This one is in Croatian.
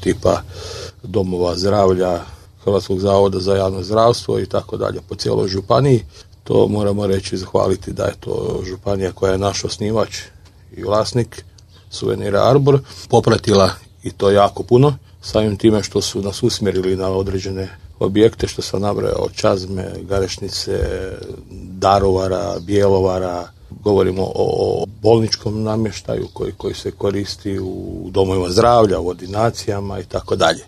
tipa domova zdravlja, Hrvatskog zavoda za javno zdravstvo i tako dalje po cijeloj županiji. To moramo reći, zahvaliti da je to županija koja je naš osnivač i vlasnik Suvenira Arbor popratila i to jako puno, samim time što su nas usmjerili na određene objekte što sam nabrojao od Čazme, Garešnice, Daruvara, Bjelovara. Govorimo o bolničkom namještaju koji se koristi u domovima zdravlja, u ordinacijama i tako dalje.